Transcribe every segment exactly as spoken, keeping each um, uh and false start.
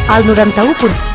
al noranta-u punt u.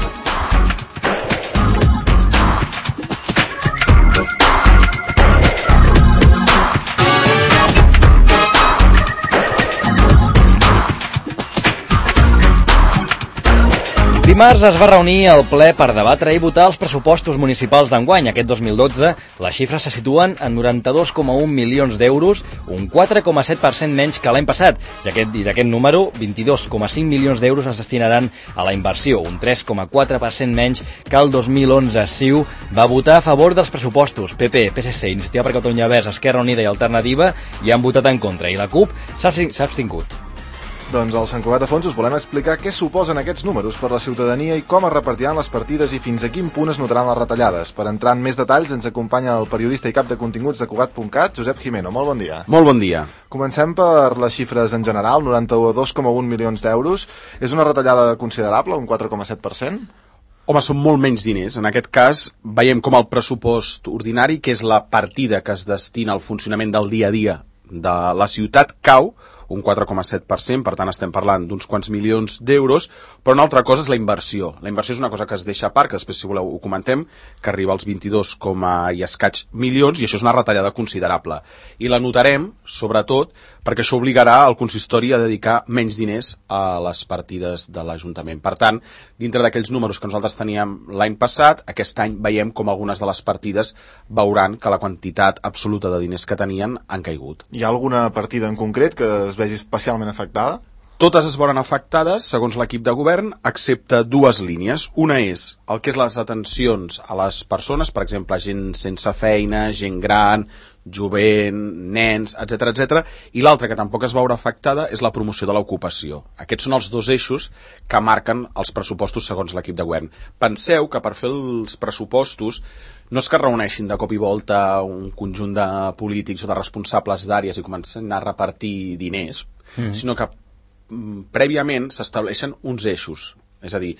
Dimarts es va reunir el ple per debatre i votar els pressupostos municipals d'enguany. Aquest dos mil dotze les xifres se situen en noranta-dos coma un milions d'euros, un quatre coma set per cent menys que l'any passat. I, aquest, i d'aquest número, vint-i-dos coma cinc milions d'euros es destinaran a la inversió, un tres coma quatre per cent menys que el dos mil onze. C I U va votar a favor dels pressupostos. P P, P S C, Iniciativa per Catalunya Verds, Esquerra Unida i Alternativa hi han votat en contra. I la CUP s'ha abstingut. Doncs al Sant Cugat Afons us volem explicar què suposen aquests números per la ciutadania i com es repartiran les partides i fins a quin punt es notaran les retallades. Per entrar en més detalls ens acompanya el periodista i cap de continguts de Cugat punt cat, Josep Jimeno. Molt bon dia. Molt bon dia. Comencem per les xifres en general, noranta-dos coma un milions d'euros. És una retallada considerable, un quatre coma set per cent? Home, són molt menys diners. En aquest cas, veiem com el pressupost ordinari, que és la partida que es destina al funcionament del dia a dia de la ciutat, cau un quatre coma set per cent, per tant estem parlant d'uns quants milions d'euros, però una altra cosa és la inversió. La inversió és una cosa que es deixa a part, que després, si voleu, ho comentem, que arriba als vint-i-dos i escaig milions, i això és una retallada considerable. I la notarem, sobretot, perquè això obligarà el consistori a dedicar menys diners a les partides de l'Ajuntament. Per tant, dintre d'aquells números que nosaltres teníem l'any passat, aquest any veiem com algunes de les partides veuran que la quantitat absoluta de diners que tenien han caigut. Hi ha alguna partida en concret que es vegi especialment afectada? Totes es veuran afectades, segons l'equip de govern, excepte dues línies. Una és el que és les atencions a les persones, per exemple, gent sense feina, gent gran, jovent, nens, etcètera, etcètera, i l'altra que tampoc es veurà afectada és la promoció de l'ocupació. Aquests són els dos eixos que marquen els pressupostos segons l'equip de govern. Penseu que per fer els pressupostos no és que reuneixin de cop i volta un conjunt de polítics o de responsables d'àrees i comencen a repartir diners, mm-hmm. sinó que mm, prèviament s'estableixen uns eixos. És a dir,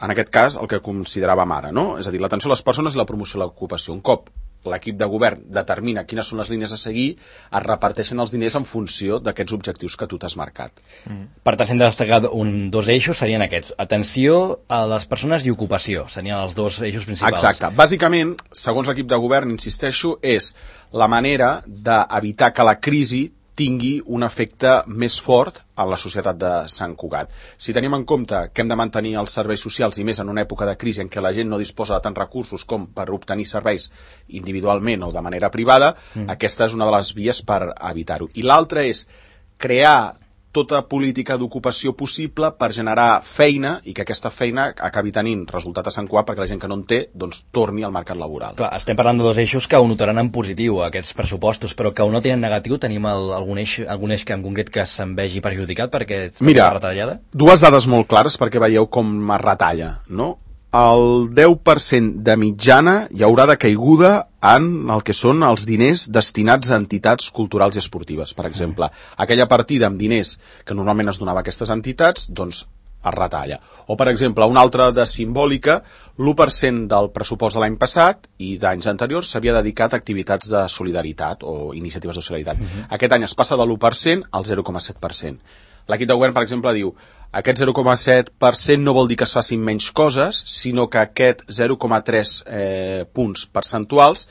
en aquest cas, el que consideràvem ara, no? És a dir, l'atenció a les persones i la promoció de l'ocupació. Un cop l'equip de govern determina quines són les línies a seguir, es reparteixen els diners en funció d'aquests objectius que tu t'has marcat. Mm. Per tant, si hem de destacar un, dos eixos, serien aquests. Atenció a les persones i ocupació. Serien els dos eixos principals. Exacte. Bàsicament, segons l'equip de govern, insisteixo, és la manera d'evitar que la crisi tingui un efecte més fort a la societat de Sant Cugat. Si tenim en compte que hem de mantenir els serveis socials i més en una època de crisi en què la gent no disposa de tants recursos com per obtenir serveis individualment o de manera privada, mm. aquesta és una de les vies per evitar-ho. I l'altra és crear tota política d'ocupació possible per generar feina i que aquesta feina acabi tenint resultat a Sant Cugat perquè la gent que no en té doncs torni al mercat laboral. Clar, estem parlant de dos eixos que ho notaran en positiu, aquests pressupostos, però que ho notin en negatiu. Tenim el, algun, eix, algun eix que en concret que se'n vegi perjudicat perquè Mira, la retallada? Dues dades molt clares perquè veieu com es retalla, no? El deu per cent de mitjana hi haurà de caiguda en el que són els diners destinats a entitats culturals i esportives. Per exemple, aquella partida amb diners que normalment es donava a aquestes entitats, doncs es retalla. O, per exemple, una altra de simbòlica, l'u per cent del pressupost de l'any passat i d'anys anteriors s'havia dedicat a activitats de solidaritat o iniciatives de solidaritat. Uh-huh. Aquest any es passa de l'u per cent al zero coma set per cent. L'equip de govern, per exemple, diu aquest zero coma set per cent no vol dir que es facin menys coses, sinó que aquest zero coma tres eh, punts percentuals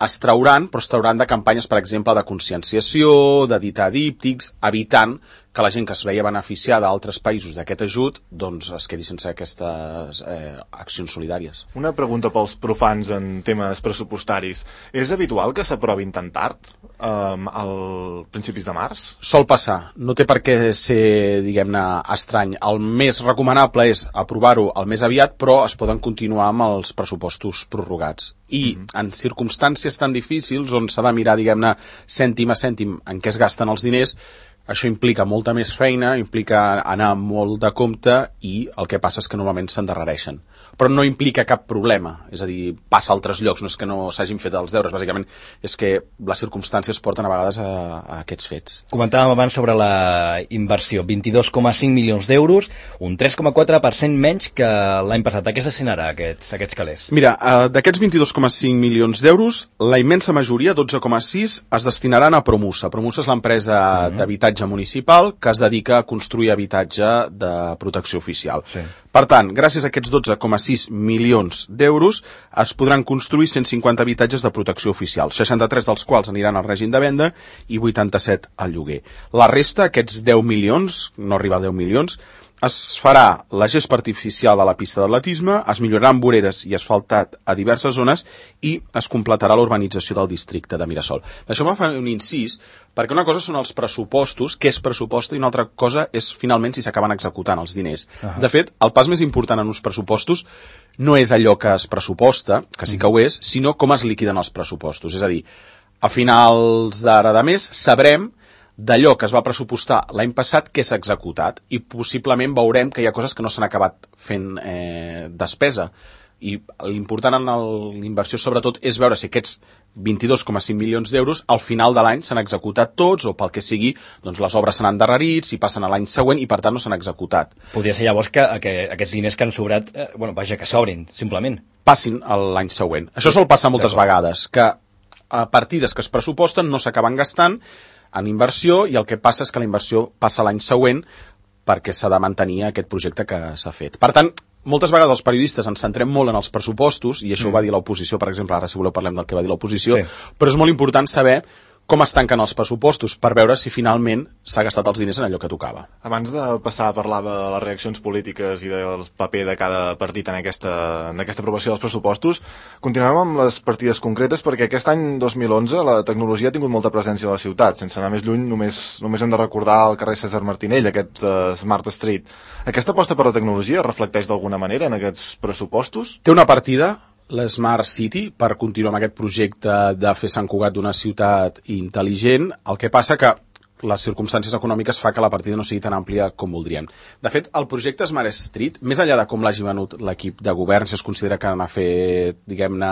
es trauran, però es trauran de campanyes, per exemple, de conscienciació, d'editar díptics, evitant que la gent que es veia beneficiada a altres països d'aquest ajut doncs es quedi sense aquestes eh, accions solidàries. Una pregunta pels profans en temes pressupostaris. És habitual que s'aprovin tan tard, um, al principis de març? Sol passar. No té per què ser, diguem-ne, estrany. El més recomanable és aprovar-ho el més aviat, però es poden continuar amb els pressupostos prorrogats. I mm-hmm. en circumstàncies tan difícils on s'ha de mirar, diguem-ne, cèntim a cèntim en què es gasten els diners, això implica molta més feina, implica anar molt de compte i el que passa és que normalment s'endarrereixen. Però no implica cap problema, és a dir, passa a altres llocs, no és que no s'hagin fet els deures, bàsicament és que les circumstàncies porten a vegades a, a aquests fets. Comentàvem abans sobre la inversió, vint-i-dos coma cinc milions d'euros, un tres coma quatre per cent menys que l'any passat. A què es destinarà aquests, aquests calés? Mira, uh, d'aquests vint-i-dos coma cinc milions d'euros, la immensa majoria, dotze coma sis, es destinaran a Promusa. Promusa és l'empresa mm-hmm. d'habitatge habitatge municipal que es dedica a construir habitatge de protecció oficial. Sí. Per tant, gràcies a aquests dotze coma sis milions d'euros es podran construir cent cinquanta habitatges de protecció oficial, seixanta-tres dels quals aniran al règim de venda i vuitanta-set al lloguer. La resta, aquests deu milions, no arriba a deu milions, es farà la gespa artificial de la pista d'atletisme, es milloraran voreres i asfaltat a diverses zones i es completarà la urbanització del districte de Mirasol. Deixeu-me fer un incís, perquè una cosa són els pressupostos, què és pressupost, i una altra cosa és finalment si s'acaben executant els diners. Uh-huh. De fet, el pas més important en uns pressupostos no és allò que es pressuposta, que sí que ho és, sinó com es liquiden els pressupostos. És a dir, a finals d'ara de mes sabrem d'allò que es va pressupostar l'any passat que s'ha executat i possiblement veurem que hi ha coses que no s'han acabat fent eh, despesa i l'important en l'inversió sobretot és veure si aquests vint-i-dos coma cinc milions d'euros al final de l'any s'han executat tots o pel que sigui, doncs les obres s'han endarrerit, si passen a l'any següent i per tant no s'han executat. Podria ser llavors que, que aquests diners que han sobrat, eh, bueno, vaja, que s'obrin, simplement. Passin l'any següent. Això sol passar moltes vegades, que a partides que es pressuposten no s'acaben gastant en inversió i el que passa és que la inversió passa l'any següent perquè s'ha de mantenir aquest projecte que s'ha fet. Per tant, moltes vegades els periodistes ens centrem molt en els pressupostos i això mm. ho va dir l'oposició, per exemple, ara si voleu parlem del que va dir l'oposició, sí. Però és molt important saber com es tanquen els pressupostos per veure si finalment s'ha gastat els diners en allò que tocava. Abans de passar a parlar de les reaccions polítiques i del paper de cada partit en aquesta, en aquesta aprovació dels pressupostos, continuem amb les partides concretes perquè aquest any dos mil onze la tecnologia ha tingut molta presència a la ciutat. Sense anar més lluny, només, només hem de recordar el carrer Cèsar Martinell, aquest uh, Smart Street. Aquesta aposta per la tecnologia reflecteix d'alguna manera en aquests pressupostos? Té una partida, la Smart City, per continuar amb aquest projecte de fer Sant Cugat d'una ciutat intel·ligent. El que passa que les circumstàncies econòmiques fa que la partida no sigui tan àmplia com voldríem. De fet, el projecte Smart Street, més enllà de com l'hagi venut l'equip de govern, si es considera que n'ha fet, diguem-ne,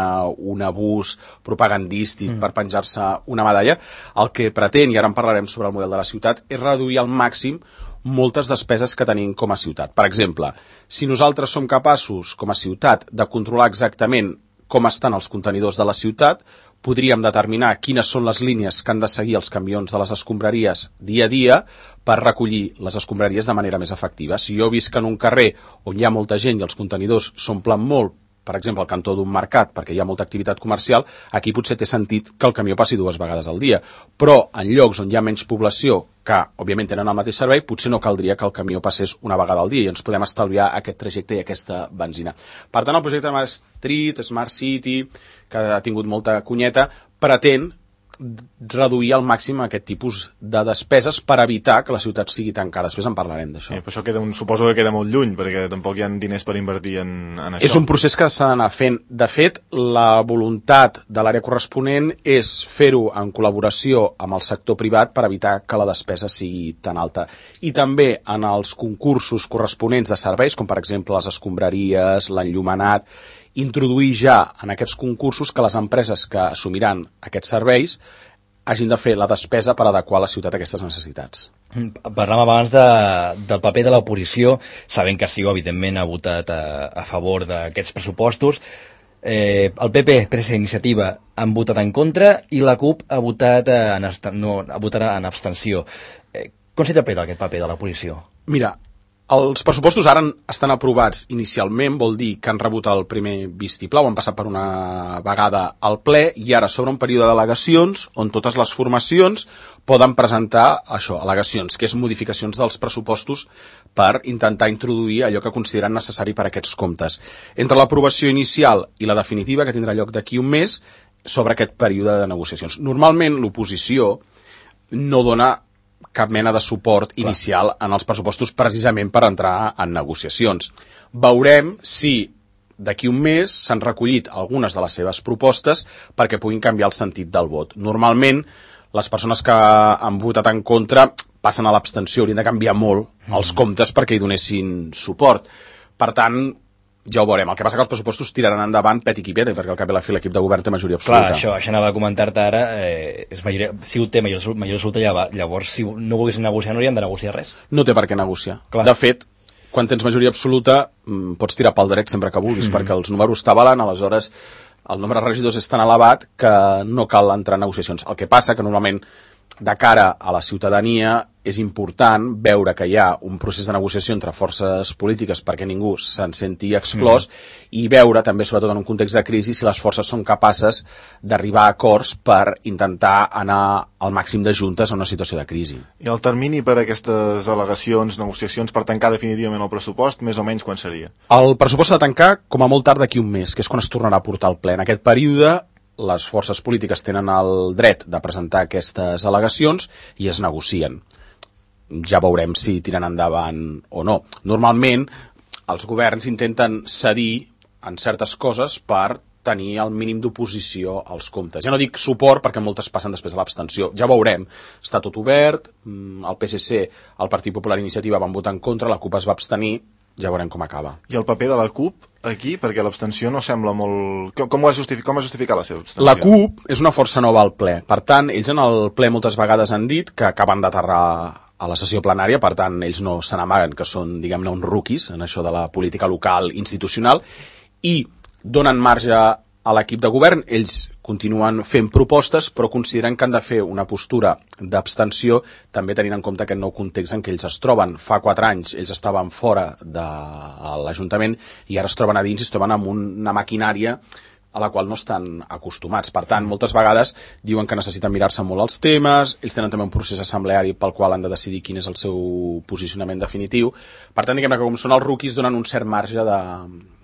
un abús propagandístic mm. per penjar-se una medalla, el que pretén, i ara en parlarem sobre el model de la ciutat, és reduir al màxim moltes despeses que tenim com a ciutat. Per exemple, si nosaltres som capaços, com a ciutat, de controlar exactament com estan els contenidors de la ciutat, podríem determinar quines són les línies que han de seguir els camions de les escombraries dia a dia per recollir les escombraries de manera més efectiva. Si jo visc en un carrer on hi ha molta gent i els contenidors s'omplen molt, per exemple, al cantó d'un mercat, perquè hi ha molta activitat comercial, aquí potser té sentit que el camió passi dues vegades al dia. Però en llocs on hi ha menys població, que òbviament tenen el mateix servei, potser no caldria que el camió passés una vegada al dia i ens podem estalviar aquest trajecte i aquesta benzina. Per tant, el projecte Smart Street, Smart City, que ha tingut molta cunyeta, pretén reduir al màxim aquest tipus de despeses per evitar que la ciutat sigui tan cara. Després en parlarem d'això. Sí, però això queda un, suposo que queda molt lluny, perquè tampoc hi ha diners per invertir en, en això. És un procés que s'ha d'anar fent. De fet, la voluntat de l'àrea corresponent és fer-ho en col·laboració amb el sector privat per evitar que la despesa sigui tan alta. I també en els concursos corresponents de serveis, com per exemple les escombraries, l'enllumenat, introduir ja en aquests concursos que les empreses que assumiran aquests serveis hagin de fer la despesa per adequar la ciutat a aquestes necessitats. Parlàvem abans de, del paper de l'oposició, sabent que CiU evidentment ha votat a, a favor d'aquests pressupostos. Eh, el P P, P S C, Iniciativa, han votat en contra i la CUP ha votat en, no, ha votat en abstenció. Eh, com s'interpreta aquest paper de l'oposició? Mira, els pressupostos ara estan aprovats inicialment, vol dir que han rebut el primer vistiplau, han passat per una vegada al ple i ara s'obre un període d'al·legacions on totes les formacions poden presentar això, al·legacions, que és modificacions dels pressupostos per intentar introduir allò que consideren necessari per a aquests comptes. Entre l'aprovació inicial i la definitiva, que tindrà lloc d'aquí un mes, sobre aquest període de negociacions. Normalment l'oposició no dona cap mena de suport Clar. inicial en els pressupostos precisament per entrar en negociacions. Veurem si d'aquí un mes s'han recollit algunes de les seves propostes perquè puguin canviar el sentit del vot. Normalment, les persones que han votat en contra passen a l'abstenció, haurien de canviar molt mm. els comptes perquè hi donessin suport. Per tant, ja ho veurem. El que passa que els pressupostos tiraran endavant pet i quipet, perquè al cap i la fi l'equip de govern té majoria absoluta. Clar, això, això anava a comentar-te ara. Eh, és majoria, si ho té majoria, majoria absoluta, llavors si no volguessin negociar no haurien de negociar res. No té per què negociar. Clar. De fet, quan tens majoria absoluta pots tirar pel dret sempre que vulguis, mm. perquè els números t'avalen, aleshores el nombre de regidors és tan elevat que no cal entrar en negociacions. El que passa que normalment de cara a la ciutadania és important veure que hi ha un procés de negociació entre forces polítiques perquè ningú se'n senti exclòs mm. i veure també, sobretot en un context de crisi, si les forces són capaces d'arribar a acords per intentar anar al màxim de juntes en una situació de crisi. I el termini per a aquestes al·legacions, negociacions, per tancar definitivament el pressupost, més o menys quan seria? El pressupost s'ha de tancar com a molt tard d'aquí un mes, que és quan es tornarà a portar al ple. En aquest període les forces polítiques tenen el dret de presentar aquestes al·legacions i es negocien. Ja veurem si tiren endavant o no. Normalment, els governs intenten cedir en certes coses per tenir el mínim d'oposició als comptes. Ja no dic suport perquè moltes passen després a l'abstenció. Ja veurem. Està tot obert, el P S C, el Partit Popular i Iniciativa van votar en contra, la CUP es va abstenir, ja veurem com acaba. I el paper de la CUP aquí, perquè l'abstenció no sembla molt... Com, com, ho ha justificat, com ha justificat la seva abstenció? La CUP és una força nova al ple. Per tant, ells en el ple moltes vegades han dit que acaben d'aterrar a la sessió plenària, per tant, ells no se n'amaguen que són, diguem-ne, uns rookies en això de la política local institucional i donen marge a l'equip de govern. Ells continuen fent propostes, però consideren que han de fer una postura d'abstenció, també tenint en compte aquest nou context en què ells es troben. Fa quatre anys ells estaven fora de l'Ajuntament i ara es troben a dins i es troben amb una maquinària a la qual no estan acostumats. Per tant, moltes vegades diuen que necessiten mirar-se molt els temes, ells tenen també un procés assembleari pel qual han de decidir quin és el seu posicionament definitiu. Per tant, diguem-ne que com són els rookies donen un cert marge de...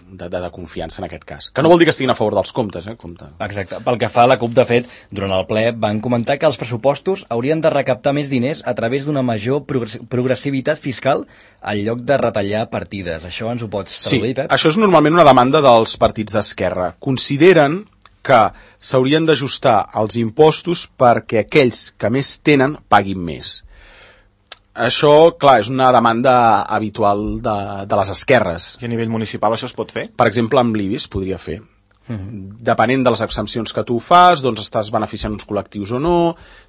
De, de, de confiança en aquest cas. Que no vol dir que estiguin a favor dels comptes, eh? Compte. Exacte. Pel que fa a la CUP, de fet, durant el ple van comentar que els pressupostos haurien de recaptar més diners a través d'una major progressivitat fiscal en lloc de retallar partides. Això ens ho pots traduir, sí, Pep? Això és normalment una demanda dels partits d'esquerra. Consideren que s'haurien d'ajustar els impostos perquè aquells que més tenen paguin més. Això, clar, és una demanda habitual de, de les esquerres. I a nivell municipal això es pot fer? Per exemple, amb l'I B I es podria fer. Uh-huh. Depenent de les exempcions que tu fas, doncs estàs beneficiant uns col·lectius o no.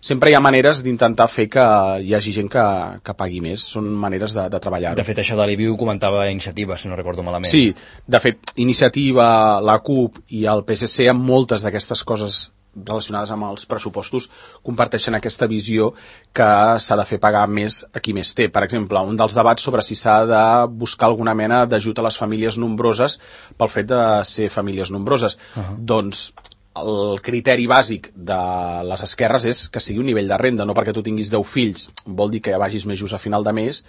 Sempre hi ha maneres d'intentar fer que hi hagi gent que, que pagui més. Són maneres de, de treballar. De fet, això de l'I B I ho comentava Iniciativa, si no recordo malament. Sí, de fet, Iniciativa, la CUP i el P S C, amb moltes d'aquestes coses relacionades amb els pressupostos, comparteixen aquesta visió que s'ha de fer pagar més a qui més té. Per exemple, un dels debats sobre si s'ha de buscar alguna mena d'ajut a les famílies nombroses pel fet de ser famílies nombroses. Uh-huh. Doncs el criteri bàsic de les esquerres és que sigui un nivell de renda, no perquè tu tinguis deu fills vol dir que ja vagis més just a final de mes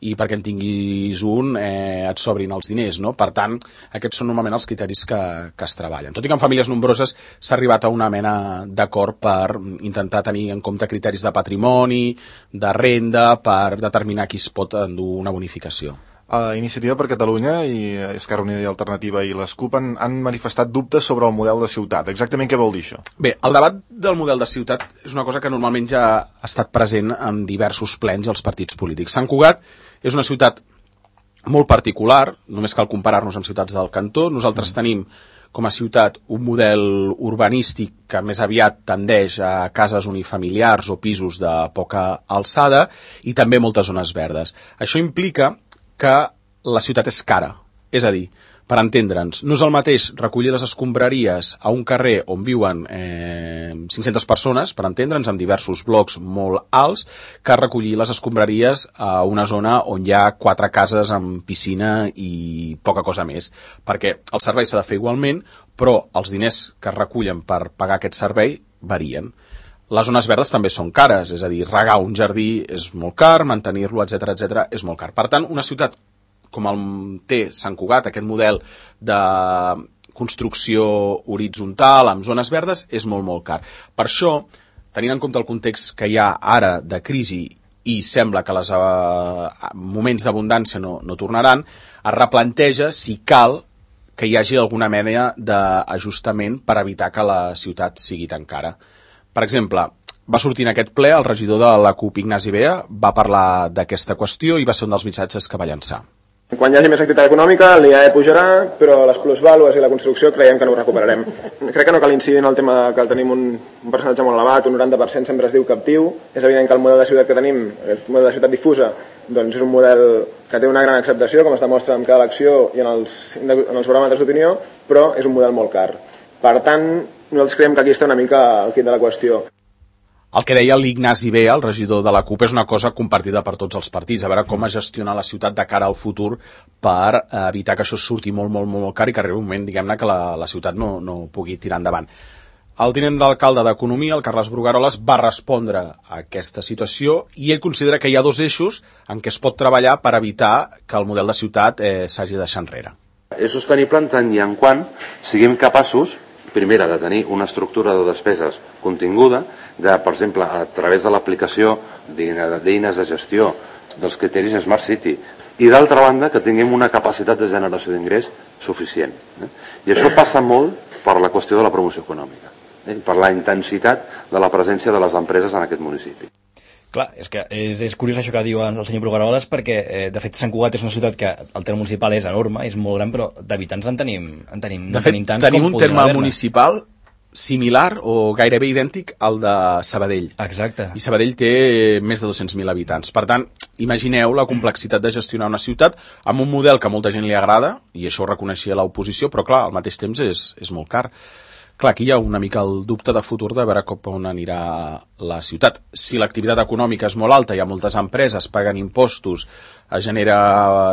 i perquè en tinguis un eh, et sobrin els diners, no? Per tant, aquests són normalment els criteris que, que es treballen. Tot i que en famílies nombroses s'ha arribat a una mena d'acord per intentar tenir en compte criteris de patrimoni, de renda, per determinar qui es pot endur una bonificació. Uh, Iniciativa per Catalunya i Esquerra Unida i Alternativa i les CUP han, han manifestat dubtes sobre el model de ciutat. Exactament què vol dir això? Bé, el debat del model de ciutat és una cosa que normalment ja ha estat present en diversos plens als partits polítics. Sant Cugat és una ciutat molt particular, només cal comparar-nos amb ciutats del cantó. Nosaltres tenim com a ciutat un model urbanístic que més aviat tendeix a cases unifamiliars o pisos de poca alçada i també moltes zones verdes. Això implica que la ciutat és cara, és a dir, per entendre'ns, no és el mateix recollir les escombraries a un carrer on viuen eh, cinc-centes persones, per entendre'ns, amb diversos blocs molt alts, que recollir les escombraries a una zona on hi ha quatre cases amb piscina i poca cosa més, perquè el servei s'ha de fer igualment, però els diners que es recullen per pagar aquest servei varien. Les zones verdes també són cares, és a dir, regar un jardí és molt car, mantenir-lo, etcètera, etcètera, és molt car. Per tant, una ciutat com el té Sant Cugat, aquest model de construcció horitzontal amb zones verdes, és molt, molt car. Per això, tenint en compte el context que hi ha ara de crisi i sembla que els eh, moments d'abundància no, no tornaran, es replanteja si cal que hi hagi alguna mena d'ajustament per evitar que la ciutat sigui tan cara. Per exemple, va sortir en aquest ple el regidor de la CUP, Ignasi Bea, va parlar d'aquesta qüestió i va ser un dels missatges que va llançar. Quan hi hagi més activitat econòmica, l'I A E pujarà, però les plusvàlues i la construcció creiem que no ho recuperarem. Crec que no cal incidir en el tema que tenim un, un percentatge molt elevat, un noranta per cent sempre es diu captiu. És evident que el model de ciutat que tenim, el model de ciutat difusa, doncs és un model que té una gran acceptació, com es demostra en cada elecció i en els, en els baròmetres d'opinió, però és un model molt car. Per tant, nosaltres creiem que aquí està una mica el quid de la qüestió. el que deia l'Ignasi B, el regidor de la CUP, és una cosa compartida per tots els partits, a veure com es gestiona la ciutat de cara al futur per evitar que això surti molt, molt, molt car i que arribi un moment, diguem-ne, que la, la ciutat no, no pugui tirar endavant. El tinent d'alcalde d'Economia, el Carles Brugaroles, va respondre a aquesta situació i ell considera que hi ha dos eixos en què es pot treballar per evitar que el model de ciutat eh, s'hagi de deixar enrere. És sostenible en tant i en quant siguem capaços, primera, de tenir una estructura de despeses continguda, de, per exemple, a través de l'aplicació d'eines de gestió dels criteris Smart City, i d'altra banda que tinguem una capacitat de generació d'ingrés suficient. Eh? I això passa molt per la qüestió de la promoció econòmica, eh? per la intensitat de la presència de les empreses en aquest municipi. Clar, és que és, és curiós això que diu el senyor Brugaroles, perquè eh, de fet Sant Cugat és una ciutat que el terme municipal és enorme, és molt gran, però d'habitants en tenim, en tenim, de fet, tenim tants tenim com un terme haver-ne. municipal similar o gairebé idèntic al de Sabadell. Exacte. I Sabadell té més de dos-cents mil habitants. Per tant, imagineu la complexitat de gestionar una ciutat amb un model que a molta gent li agrada, i això ho reconeixia l'oposició, però clar, al mateix temps és, és molt car. Clar, aquí hi ha una mica el dubte de futur de veure cap on anirà la ciutat. Si l'activitat econòmica és molt alta, hi ha moltes empreses, paguen impostos, es genera,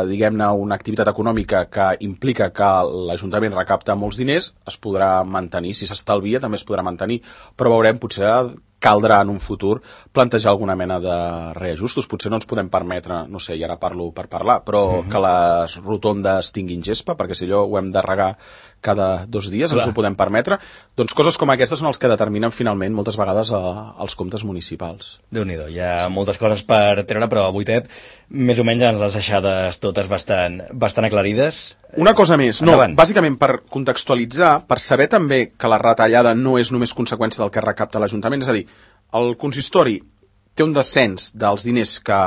diguem-ne, una activitat econòmica que implica que l'Ajuntament recapta molts diners, es podrà mantenir. Si s'estalvia, també es podrà mantenir. Però veurem, potser caldrà en un futur plantejar alguna mena de reajustos. Potser no ens podem permetre, no sé, i ara parlo per parlar, però uh-huh. que les rotondes tinguin gespa, perquè si allò ho hem de regar cada dos dies, Clar. ens ho podem permetre. Doncs coses com aquestes són els que determinen finalment moltes vegades a, als comptes municipals. Déu-n'hi-do, hi ha moltes coses per treure, però avui, Pep, més o menys ens les deixades totes bastant, bastant aclarides. Una cosa més, no, Endavant. Bàsicament per contextualitzar, per saber també que la retallada no és només conseqüència del que recapta l'Ajuntament, és a dir, el consistori té un descens dels diners que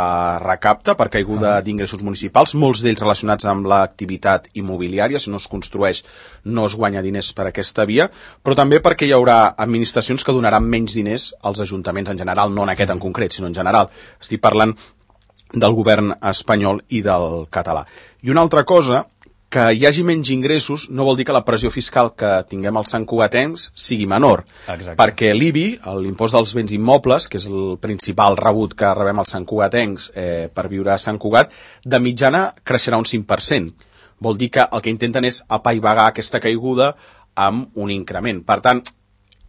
recapta per caiguda d'ingressos municipals, molts d'ells relacionats amb l'activitat immobiliària, si no es construeix no es guanya diners per aquesta via, però també perquè hi haurà administracions que donaran menys diners als ajuntaments en general, no en aquest en concret, sinó en general. Estic parlant del govern espanyol i del català. I una altra cosa, que hi hagi menys ingressos no vol dir que la pressió fiscal que tinguem als santcugatencs sigui menor. Exacte. Perquè l'I B I, l'impost dels béns immobles, que és el principal rebut que rebem els santcugatencs eh, per viure a Sant Cugat, de mitjana creixerà un cinc per cent. Vol dir que el que intenten és apaivagar aquesta caiguda amb un increment. Per tant,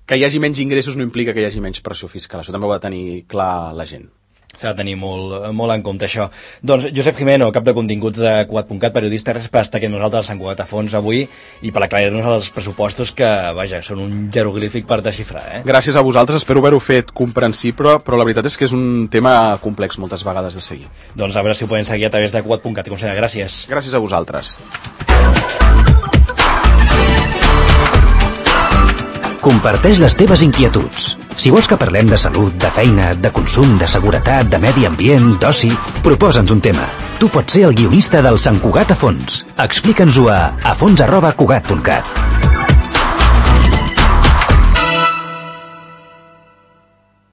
que hi hagi menys ingressos no implica que hi hagi menys pressió fiscal. Això també ho ha de tenir clar la gent. S'ha de tenir molt, molt en compte això. Doncs Josep Jimeno, cap de continguts de Cugat punt cat, periodista, gràcies per estar aquí amb nosaltres a Sant Cugat a fons avui i per aclarir-nos els pressupostos que, vaja, són un jeroglífic per desxifrar. Eh? Gràcies a vosaltres, espero haver-ho fet comprensible, però la veritat és que és un tema complex moltes vegades de seguir. Doncs a veure si ho podem seguir a través de Cugat punt cat. Gràcies. Gràcies a vosaltres. Comparteix les teves inquietuds. Si vols que parlem de salut, de feina, de consum, de seguretat, de medi ambient, d'oci, proposa'ns un tema. Tu pots ser el guionista del Sant Cugat a fons. Explica'ns-ho a afons arroba cugat punt cat.